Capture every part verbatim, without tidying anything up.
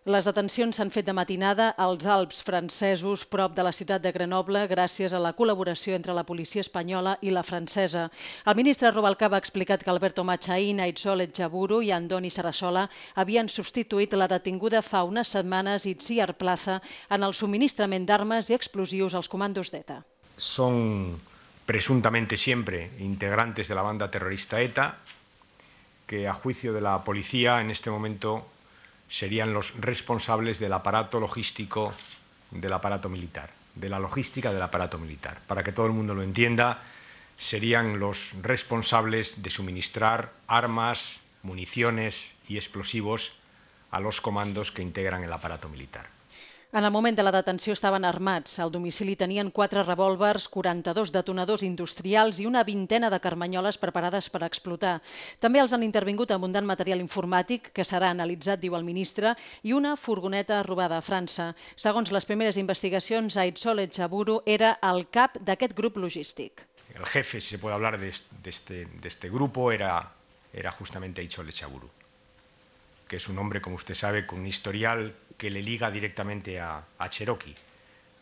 Les detencions s'han fet de matinada als Alps francesos, prop de la ciutat de Grenoble, gràcies a la col·laboració entre la policia espanyola i la francesa. El ministre Rubalcaba ha explicat que Alberto Machain, Aitzol Etxaburu i Andoni Sarasola havien substituït la detinguda fa unes setmanes Itziar Plaza en el subministrament d'armes i explosius als comandos d'ETA. Son presuntamente siempre integrantes de la banda terrorista ETA, que a juicio de la policía en este momento serían los responsables del aparato logístico del aparato militar, de la logística del aparato militar. Para que todo el mundo lo entienda, serían los responsables de suministrar armas, municiones y explosivos a los comandos que integran el aparato militar. En el moment de la detenció estaven armats. Al domicili tenien quatre revòlvers, quaranta-dos detonadors industrials i una vintena de carmanyoles preparades per explotar. També els han intervingut abundant material informàtic, que serà analitzat, diu el ministre, i una furgoneta robada a França. Segons les primeres investigacions, Aitzol Etxaburu era el cap d'aquest grup logístic. El jefe, si se puede hablar de este, de este grupo, era, era justamente Aitzol Etxaburu, que es un hombre, como usted sabe, con un historial que le liga directamente a, a Cherokee,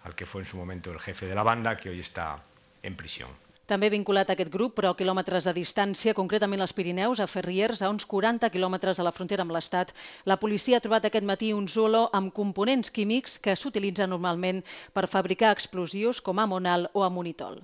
al que fue en su momento el jefe de la banda, que hoy está en prisión. També vinculat a aquest grup, però a quilòmetres de distància, concretament als Pirineus, a Ferriers, a uns quaranta quilòmetres de la frontera amb l'Estat, la policia ha trobat aquest matí un Zulo amb components químics que s'utilitzen normalment per fabricar explosius com amonal o amonitol.